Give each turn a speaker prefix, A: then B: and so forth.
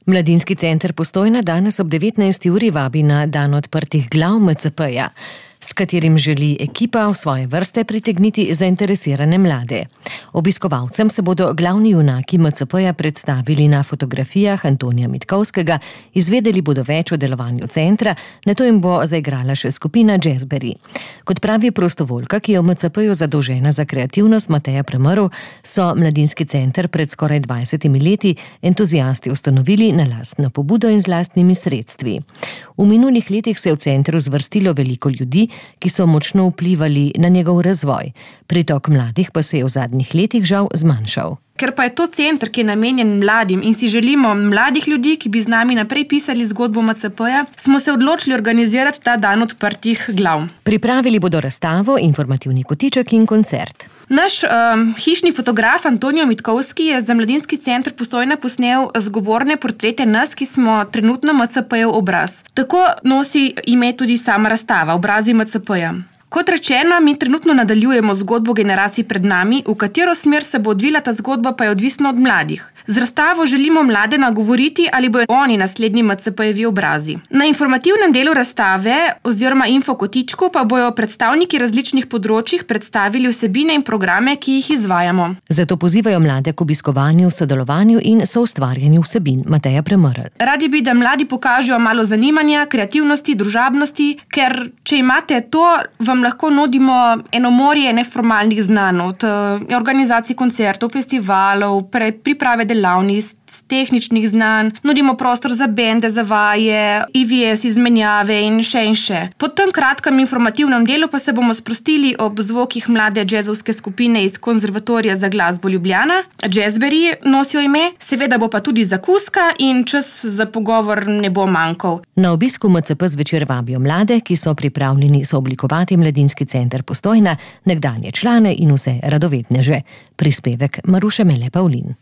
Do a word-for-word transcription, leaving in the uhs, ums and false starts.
A: Mladinski center Postojna danes ob devetnajsti uri vabi na dan odprtih glav M C P-ja, s katerim želi ekipa v svoje vrste pritegniti zainteresirane mlade. Obiskovalcem se bodo glavni junaki M C P-ja predstavili na fotografijah Antonija Mitkovskega, izvedeli bodo več o delovanju centra, nato jim bo zaigrala še skupina Jazzberry. Kot pravi prostovoljka, ki je v M C P-ju zadolžena za kreativnost, Mateja Premrl, so mladinski center pred skoraj dvajsetimi leti entuziasti ustanovili na lastno pobudo in z lastnimi sredstvi. V minulih letih se je v centru zvrstilo veliko ljudi, ki so močno vplivali na njegov razvoj. Pritok mladih pa se je v zadnjih letih žal zmanjšal.
B: Ker pa je to center, ki je namenjen mladim in si želimo mladih ljudi, ki bi z nami naprej pisali zgodbo M C P-ja, smo se odločili organizirati ta dan odprtih glav.
A: Pripravili bodo razstavo, informativni kotiček in koncert.
B: Naš um, hišni fotograf Antonijo Mitkovski je za mladinski center Postojna posnel zgovorne portrete nas, ki smo trenutno M C P-jev obraz. Tako nosi ime tudi sama razstava, obrazi M C P-ja. Kot rečeno, mi trenutno nadaljujemo zgodbo generacij pred nami, v katero smer se bo odvila ta zgodba, pa je odvisno od mladih. Z razstavo želimo mlade nagovoriti, ali bojo oni naslednji M C P-jevi obrazi. Na informativnem delu razstave oziroma infokotičku pa bojo predstavniki različnih področjih predstavili vsebine in programe, ki jih izvajamo.
A: Zato pozivajo mlade k obiskovanju, sodelovanju in soustvarjanju vsebin. Mateja Premrl.
B: Radi bi, da mladi pokažejo malo zanimanja, kreativnosti, družabnosti, ker če imate to, vam lahko nudimo eno morje neformalnih znanj, od organizacij koncertov, festivalov, pre, priprave delavnic, tehničnih znanj, nudimo prostor za bende, za vaje, I V S izmenjave in še in še. Po tem kratkem informativnem delu pa se bomo sprostili ob zvokih mlade džezovske skupine iz Konzervatorija za glasbo Ljubljana. Jazzberry nosijo ime, seveda bo pa tudi zakuska in čas za pogovor ne bo manjkal.
A: Na obisku M C P zvečer vabijo mlade, ki so pripravljeni sooblikovati mladinski center Postojna, nekdanje člane in vse radovedneže. Prispevek Maruše Mele Pavlin.